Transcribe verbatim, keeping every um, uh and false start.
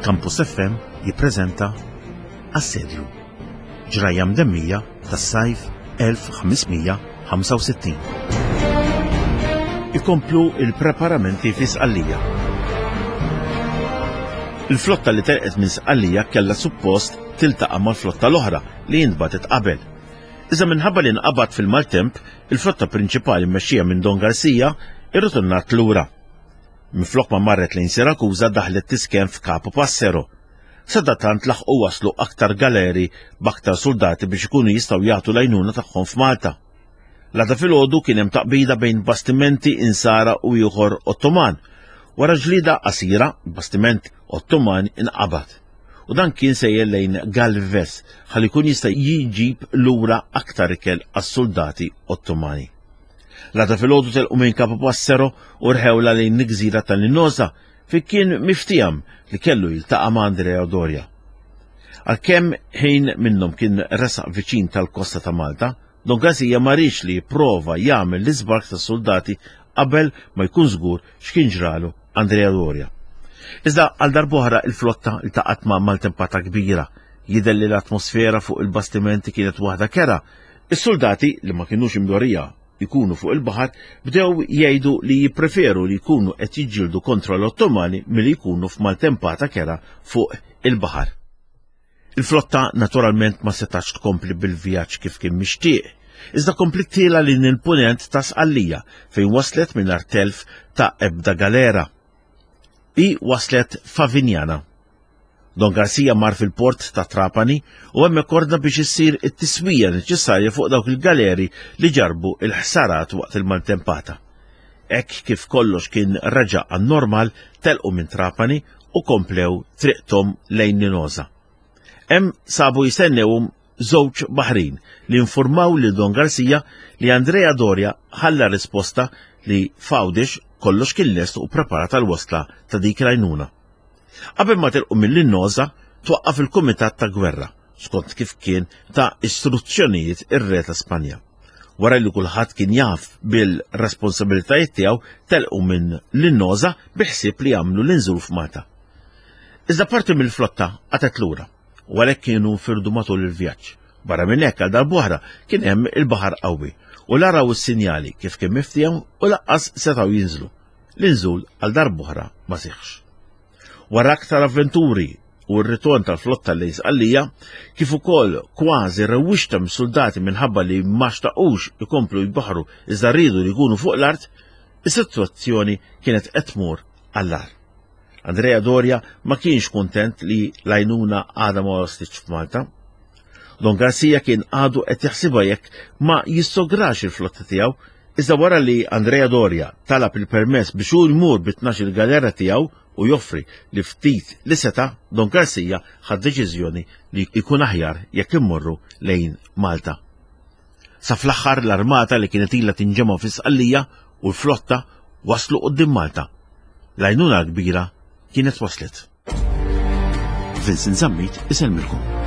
Campus F M jippreżenta Assedju. Ġrajja mdemmija tas-sajf elf ħames mija ħamsa u sittin. Ikomplu il-preparamenti fi Sqallija. Il-flotta li telqet minn Sqallija kellha suppost tiltaqa' mal-flotta l-oħra li intbagħtet qabel. Iżda minħabba li nqabad fil-maltemp, il-flotta prinċipali mmexxija minn Don Garcia irritornat lura. Minflok ma marret lejn Sirakuza, daħlet tisken f'Capo Passero. Sadattant laħqu waslu aktar galeri b'aktar soldati biex ikunu jistgħu jagħtu l-għajnuna tagħhom f'Malta. L-għada filgħodu kien hemm taqbida bejn bastimenti Insara u ieħor Ottoman. Wara ġlida qasira, bastiment Ottoman inqabad. U dan kien sejjer lejn Galvez ħalli jkun jista' jiġib lura aktar ikel għas-soldati Ottomani. L-għada filgħodu telqu minn Capo Passero u rħewla lejn il-gżira tal-Linosa, fejn kien miftiem li kellu jiltaqa' ma' Andrea Doria. Għalkemm ħin minnhom kien resaq viċin tal-kosta ta' Malta, Don Garcia ma riedx li jipprova jagħmel l-iżbark tas-soldati qabel ma jkun żgur x'kien ġralu Andrea Doria. Iżda għal darb'oħra il-flotta iltaqgħet ma' maltempata kbira. Jidher li l-atmosfera fuq il-bastimenti kienet waħda kerha. Is-soldati, li ma kienux imdorrija jkunu fuq il-baħar, bdew jgħidu li jippreferu li jkunu qed jiġġieldu kontra l-Ottomani milli jkunu f'maltempata kerha fuq il-baħar. Il-flotta naturalment ma setax tkompli bil-vjaġġ kif kien mixtieq, iżda kompliet tielgħa lejn il-punent ta' Sqallija, fejn waslet mingħajr telf ta' ebda galera. I waslet Favignana. Don Garcia mar fil-port ta' Trapani u hemmhekk ordna biex issir it-tiswija neċessarja fuq dawk il-galeri li ġarbu il-ħsarat waqt il-maltempata. Hekk kif kollox kien reġa' għan-normal, telqu minn Trapani u komplew triqtom lejn Linosa. Hemm sabu jistennewhom żewġ baħrin li informaw lil Don Garcia li Andrea Doria ħalla risposta li f'Għawdex kollox kien lest u preparat għal wasla ta' dik l-għajnuna. Qabel ma telqu mill-Linosa, twaqqaf il-Kumitat ta' Gwerra, skont kif kien ta istruzzjonijiet ir-Re ta' Spanja. Wara li kulħadd kien jaf bil-responsabilitajiet tiegħu, telqu minn Linosa biħsieb li jagħmlu l-inżul f'Malta. Iżda parti mill-flotta qatgħet lura u għalhekk kienu nfirdu matul il-vjaġġ. Barra minn hekk, għal darb'oħra kien hemm il-baħar qawwi u la raw is-sinjali kif kien miftiem u lanqas setgħu jinżlu. L-inżul għal darb'oħra ma seħħx. Wara aktar avventuri u r-ritorn tal-flotta lejn Sqallija, kif ukoll kważi rewwixta mis-soldati minħabba li ma xtaqux ikomplu jbaħru iżda rridu li jkunu fuq l-art, is-sitwazzjoni kienet qed tmur għall-agħar. Andrea Doria ma kienx kontent li l-għajnuna għadha ma waslitx f'Malta. Don Garcia kien għadu qed jaħsibha jekk ma jissograx il-flotta tiegħu, iżda wara li Andrea Doria talab il-permess biex hu jmur bi tnax-il galera tiegħu u joffri li ftit li seta', Don Garcia ħad deċiżjoni li jkun aħjar jekk immorru lejn Malta. Sa fl-aħħar l-armata li kienet ilha tinġema' fi Sqallija u l-flotta waslu quddiem Malta. L-għajnuna kbira kienet waslet. Vincent Zammit isellmilkom.